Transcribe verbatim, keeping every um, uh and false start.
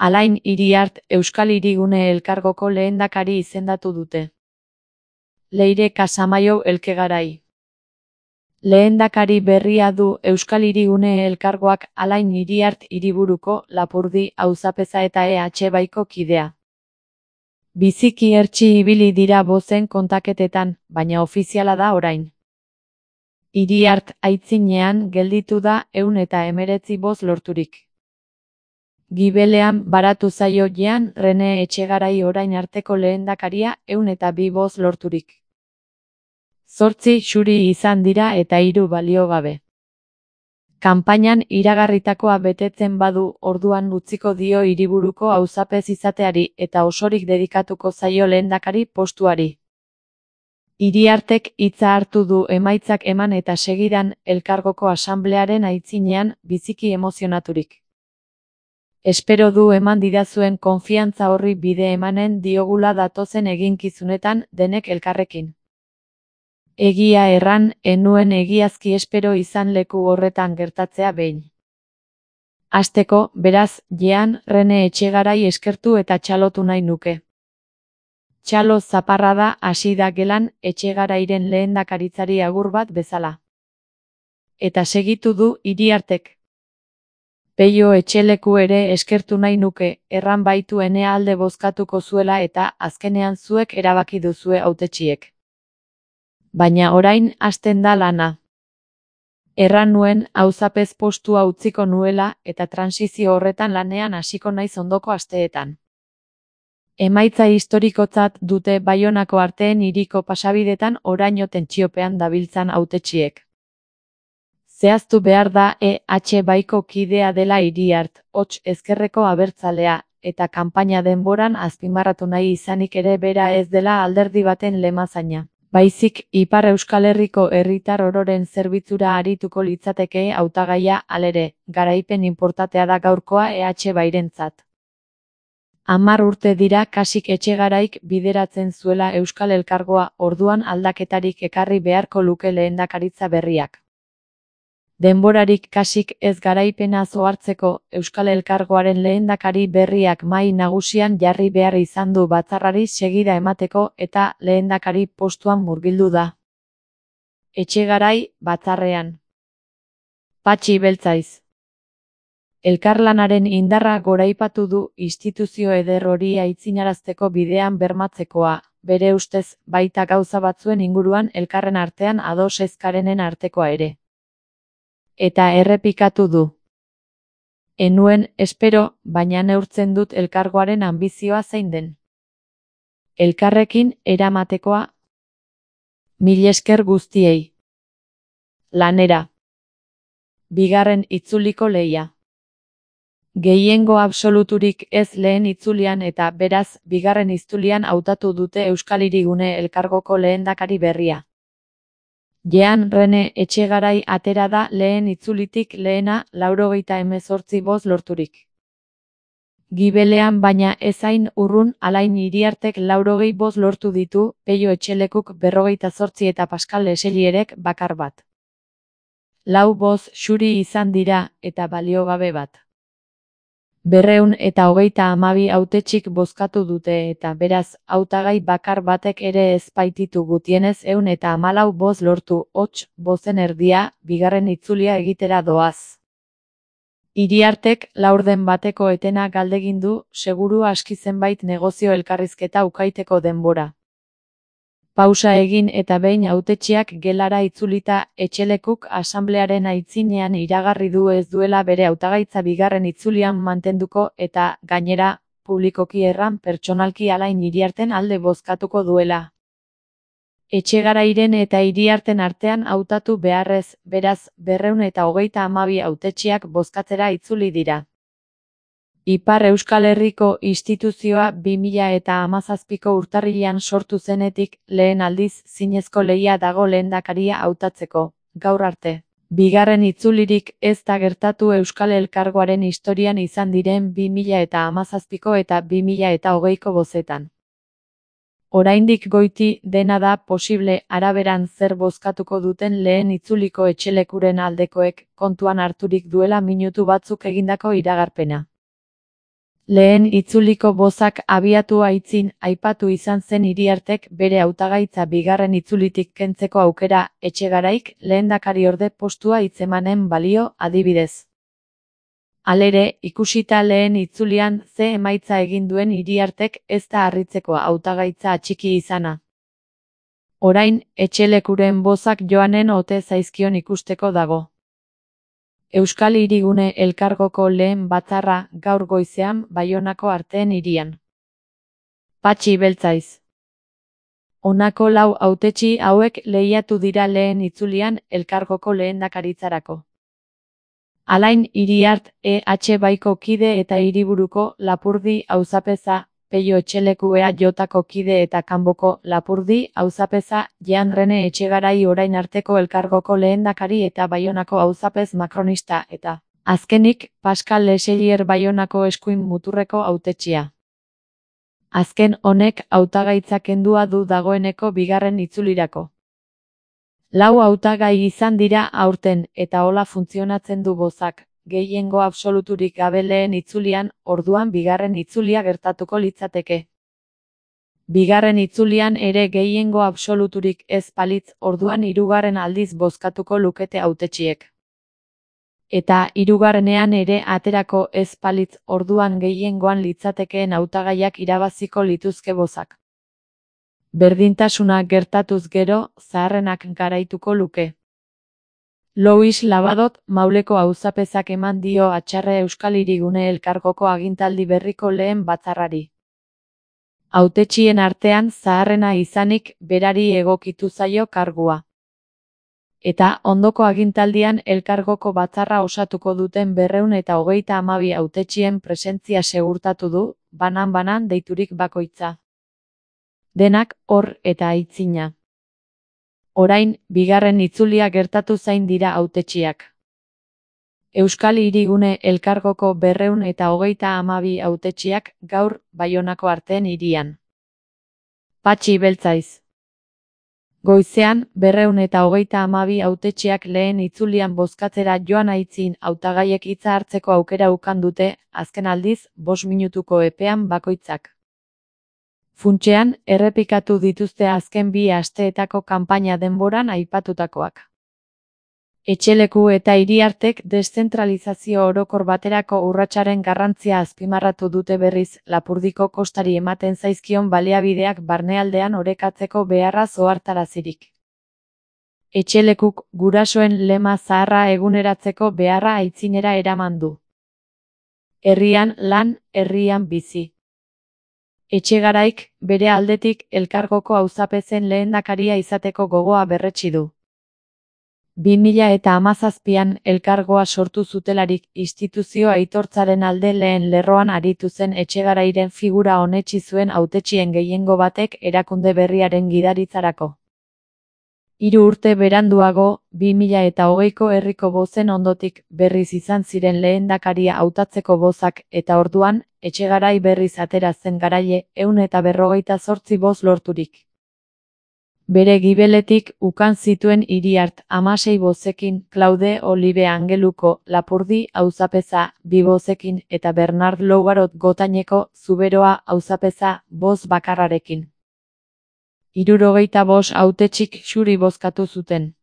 Alain Iriart Euskal Hirigune Elkargoko lehendakari izendatu dute. Leire Casamayo Elkegarai. Lehendakari berria du Euskal Hirigune Elkargoak Alain Iriart Hiriburuko, Lapurdi, Auzapeza eta E H Baiko kidea. Biziki hertsi ibili dira bozen kontaketetan, baina ofiziala da orain. Iriart aitzinean gelditu da ehun eta hemeretzi boz lorturik. Gibelean baratu zaio Jean René Etxegarai orain arteko lehendakaria ehun eta bi boz lorturik. Zortzi xuri izan dira eta hiru balio gabe. Kanpainan iragarritakoa betetzen badu orduan utziko dio hiriburuko auzapez izateari eta osorik dedikatuko zaio lehendakari postuari. Iriartek hitza hartu du emaitzak eman eta segidan elkargoko asamblearen aitzinean biziki emozionaturik. Espero du eman didazuen konfiantza horri bide emanen diogula datozen eginkizunetan denek elkarrekin. Egia erran, enuen egiazki espero izan leku horretan gertatzea behin. Hasteko, beraz, Jean René Etxegarai eskertu eta txalotu nahi nuke. Txalo zaparrada hasi da gelan Etxegarairen lehendakaritzari agur bat bezala. Eta segitu du Iriartek. Peio Etxeleku ere eskertu nahi nuke, erran baitu ene alde bozkatuko zuela eta azkenean zuek erabaki duzue hautetsiek. Baina orain hasten da lana. Erran nuen auzapez postua utziko nuela eta transizio horretan lanean hasiko naiz ondoko asteetan. Emaitza historikotzat dute Baionako arteen hiriko pasabidetan oraino tentsiopean dabiltzan hautetsiek. Zehaztu behar da E H Baiko kidea dela Iriart, hots ezkerreko abertzalea, eta kanpaina denboran azpimarratu nahi izanik ere bera ez dela alderdi baten lemazaina. Baizik, Ipar Euskal Herriko herritar ororen zerbitzura arituko litzateke hautagaia halere, garaipen inportatea da gaurkoa E H Bairentzat. Hamar urte dira kasik Etxegaraik bideratzen zuela Euskal Elkargoa, orduan aldaketarik ekarri beharko luke lehendakaritza berriak. Denborarik kasik ez garaipena zohartzeko, Euskal Elkargoaren lehendakari berriak mahai nagusian jarri behar izan du batzarrari segida emateko eta lehendakari postuan murgildu da. Etxegarai, batzarrean. Patxi Beltzaiz. Elkarlanaren indarra goraipatu du instituzio eder hori aitzinarazteko bidean bermatzekoa, bere ustez, baita gauza batzuen inguruan elkarren artean ados ez garenen artekoa ere. Eta errepikatu du. Enuen, espero, baina neurtzen dut elkargoaren anbizioa zein den. Elkarrekin eramatekoa. Mil esker guztiei. Lanera. Bigarren itzuliko lehia. Gehiengo absoluturik ez lehen itzulian eta beraz, bigarren itzulian hautatu dute Euskal Hirigune Elkargoko lehendakari berria. Jean René Etxegarai atera da lehen itzulitik lehena laurogeita hemezortzi boz lorturik. Gibelean baina ezain urrun Alain Iriartek laurogei boz lortu ditu, Peio Etxelekuk berrogeita zortzi eta Pascal Leselierek bakar bat. Lau boz xuri izan dira eta baliogabe bat. Berreun eta hogeita hamabi hautetxik bozkatu dute eta beraz, hautagai bakar batek ere ez baititu gutienez ehun eta hamalau boz lortu, hots, bozen erdia, bigarren itzulia egitera doaz. Iriartek laurden bateko etena galdegin du, seguru aski zenbait negozio elkarrizketa ukaiteko denbora. Pausa egin eta behin hautetsiak gelara itzulita, Etxelekuk asamblearen aitzinean iragarri du ez duela bere hautagaitza bigarren itzulian mantenduko eta, gainera, publikoki erran pertsonalki Alain Iriarten alde bozkatuko duela. Etxegarairen eta Iriarten artean hautatu beharrez, beraz, berreun eta hogeita hamabi hautetsiak bozkatzera itzuli dira. Ipar Euskal Herriko instituzioa bi mila eta hamazazpiko urtarrilean sortu zenetik, lehen aldiz zinezko lehia dago lehendakaria hautatzeko, gaur arte. Bigarren itzulirik ez da gertatu Euskal Elkargoaren historian izan diren bi mila eta hamazazpiko eta bi mila eta hogeiko bozetan. Oraindik goiti dena da posible araberan zer bozkatuko duten lehen itzuliko Etxelekuren aldekoek kontuan harturik duela minutu batzuk egindako iragarpena. Lehen itzuliko bozak abiatu aitzin aipatu izan zen Iriartek bere hautagaitza bigarren itzulitik kentzeko aukera Etxegaraik lehendakariorde postua hitzemanen balio adibidez. Halere, ikusita lehen itzulian ze emaitza egin duen Iriartek ez da harritzekoa hautagaitza atxiki izana. Orain, etxelekuren bozak joanen ote zaizkion ikusteko dago. Euskal Hirigune elkargoko lehen batzarra gaur goizean Baionako Arteen hirian. Patxi Beltzaiz. Honako lau hautetsi hauek lehiatu dira lehen itzulian elkargoko lehendakaritzarako. Alain Iriart E H Baiko kide eta Hiriburuko Lapurdi auzapeza, Peio Etxeleku E A Jotako kide eta Kanboko Lapurdi auzapeza, Jean Rene Etxegarai orain arteko elkargoko lehendakari eta Baionako auzapez makronista eta, azkenik, Pascal Leselier Baionako eskuin muturreko hautetsia. Azken honek hautagaitza kendua du dagoeneko bigarren itzulirako. Lau hautagai izan dira aurten eta hola funtzionatzen du bozak, gehiengo absoluturik gabe lehen itzulian, orduan bigarren itzulia gertatuko litzateke. Bigarren itzulian ere gehiengo absoluturik ez balitz, orduan hirugarren aldiz bozkatuko lukete hautetsiek. Eta hirugarrenean ere aterako ez balitz, orduan gehiengoan litzatekeen hautagaiak irabaziko lituzke bozak. Berdintasuna gertatuz gero, zaharrenak garaituko luke. Louis Labadot Mauleko auzapezak eman dio atxarre Euskal Hirigune elkargoko agintaldi berriko lehen batzarrari. Hautetsien artean zaharrena izanik berari egokitu zaio kargua. Eta ondoko agintaldian elkargoko batzarra osatuko duten berrehun eta hogeita hamabi hautetsien presentzia segurtatu du, banan-banan deiturik bakoitza. Denak hor eta aitzina. Orain, bigarren itzulia gertatu zain dira hautetsiak. Euskal Hirigune elkargoko berrehun eta hogeita hamabi hautetsiak gaur Baionako Arteen hirian. Patxi Beltzaiz. Goizean, berrehun eta hogeita hamabi hautetsiak lehen itzulian bozkatzera joan aitzin hautagaiek hitza hartzeko aukera ukan dute, azken aldiz, bost minutuko epean bakoitzak. Funtsean, errepikatu dituzte azken bi asteetako kanpaina denboran aipatutakoak. Etxeleku eta Iriartek deszentralizazio orokor baterako urratsaren garrantzia azpimarratu dute berriz, Lapurdiko kostari ematen zaizkion baliabideak barnealdean orekatzeko beharraz ohartarazirik. Etxelekuk gurasoen lema zaharra eguneratzeko beharra aitzinera eraman du. Herrian lan, herrian bizi. Etxegaraik, bere aldetik, elkargoko auzapezen lehendakaria izateko gogoa berretsi du. bi mila eta hamazazpian elkargoa sortu zutelarik instituzio aitortzaren alde lehen lerroan aritu zen Etxegarairen figura onetsi zuen hautetsien gehiengo batek erakunde berriaren gidaritzarako. Hiru urte beranduago, bi mila eta hogeiko herriko bozen ondotik berriz izan ziren lehendakaria hautatzeko bozak eta orduan, Etxegarai berriz atera zen garaile, ehun eta berrogeita zortzi boz lorturik. Bere gibeletik ukan zituen Iriart hamasei bozekin, Claude Olibe Angeluko Lapurdi auzapeza bi bozekin eta Bernard Lougarot Gotaineko Zuberoa auzapeza boz bakarrarekin. Hirurogeita bost hautetsik xuri bozkatu zuten.